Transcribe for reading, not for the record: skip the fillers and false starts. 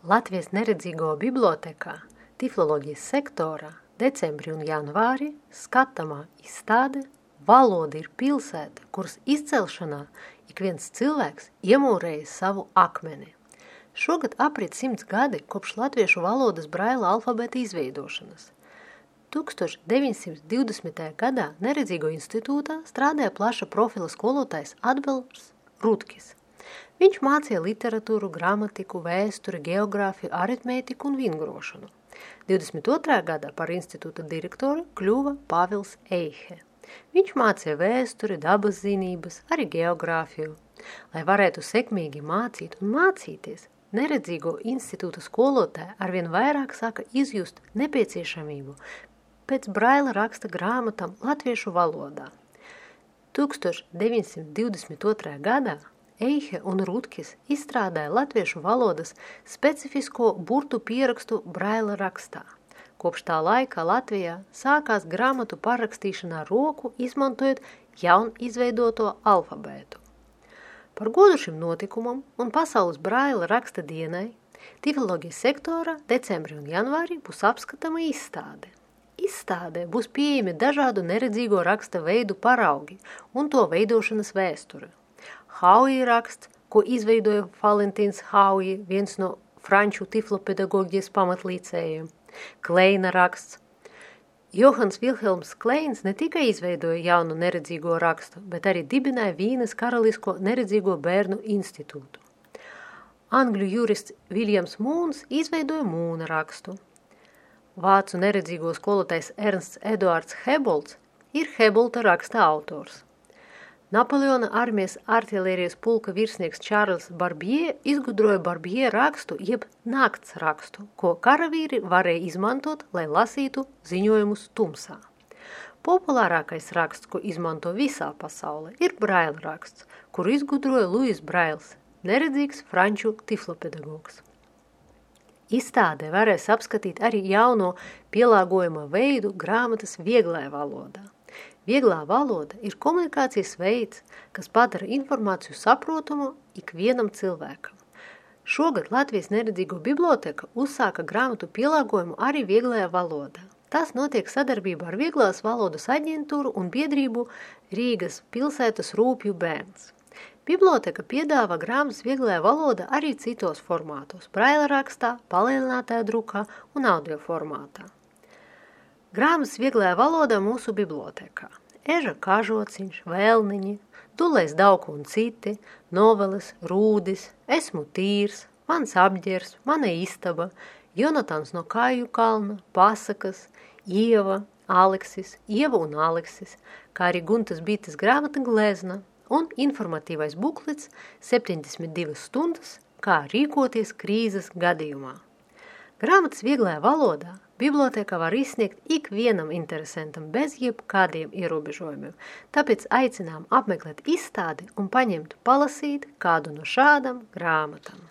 Latvijas neredzīgo bibliotēkā tifloloģijas sektorā decembrī un janvārī skatāmā izstāde Valoda ir pilsēta, kuras izcelšanā ik viens cilvēks iemūrēja savu akmeni. Šogad aprit 100 gadi kopš latviešu valodas braila alfabēta izveidošanas. 1920. gadā Neredzīgo institūtā strādāja plaša profila skolotājs Atbils Rudkis. Viņš mācīja literatūru, gramatiku, vēsturi, geogrāfiju, aritmētiku un vingrošanu. 22. gadā par institūta direktoru kļuva Pāvils Eihe. Viņš mācīja vēsturi, dabas zinības, arī geogrāfiju. Lai varētu sekmīgi mācīt un mācīties, Neredzīgo institūta skolotāji arvien vairāk sāka izjust nepieciešamību pēc braila raksta grāmatām latviešu valodā. 1922. gadā Eihe un Rudkis izstrādāja latviešu valodas specifisko burtu pierakstu braila rakstā. Kopš tā laika Latvijā sākās grāmatu parakstīšanā roku, izmantojot jaun izveidoto alfabētu. Par godu šim notikumam un pasaules braila raksta dienai tifloloģijas sektorā decembrī un janvārī būs apskatama izstāde. Izstādē būs pieejami dažādu neredzīgo raksta veidu paraugi un to veidošanas vēsture. Hauji raksts, ko izveidoja Valentīns Hauji, viens no franču tiflopedagoģijas pamatlīcējiem. Kleina raksts. Johans Vilhelms Kleins ne tikai izveidoja jaunu neredzīgo rakstu, bet arī dibināja Vīnes karalisko neredzīgo bērnu institūtu. Angļu jurists Viljams Mūns izveidoja Mūna rakstu. Vācu neredzīgo skolotājs Ernsts Eduards Hebolds ir Hebolda raksta autors. Napoleona armijas artilērijas pulka virsnieks Čārls Barbie izgudroja Barbie rakstu, jeb nakts rakstu, ko karavīri varēja izmantot, lai lasītu ziņojumus tumsā. Populārākais raksts, ko izmanto visā pasaulē, ir braila raksts, kuru izgudroja Luis Brails, neredzīgs franču tiflopedagogs. Izstādē varēs apskatīt arī jauno pielāgojuma veidu grāmatas vieglajā valodā. Vieglā valoda ir komunikācijas veids, kas padara informāciju saprotamu ikvienam cilvēkam. Šogad Latvijas neredzīgo biblioteka uzsāka grāmatu pielāgojumu arī vieglajā valodā. Tas notiek sadarbībā ar Vieglās valodas aģentūru un biedrību Rīgas pilsētas Rūpju bērns. Biblioteka piedāvā grāmatas vieglajā valodā arī citos formātos – braila rakstā, palielinātajā drukā un audio formātā. Grāmatas vieglajā valodā mūsu bibliotekā. Eža kažociņš, Vēlniņi, Dulais Dauku un citi, noveles, Rūdis, Esmu tīrs, Mans apģers, Mana istaba, Jonatans no Kāju kalna, Pasakas, Ieva, Aleksis, Ieva un Aleksis, kā arī Guntas Bites grāmata Glezna un informatīvais buklets 72 stundas, kā rīkoties krīzes gadījumā. Grāmatas vieglajā valodā biblioteka var izsniegt ikvienam interesantam bez jebkādiem ierobežojumiem, tāpēc aicinām apmeklēt izstādi un paņemt palasīt kādu no šādām grāmatām.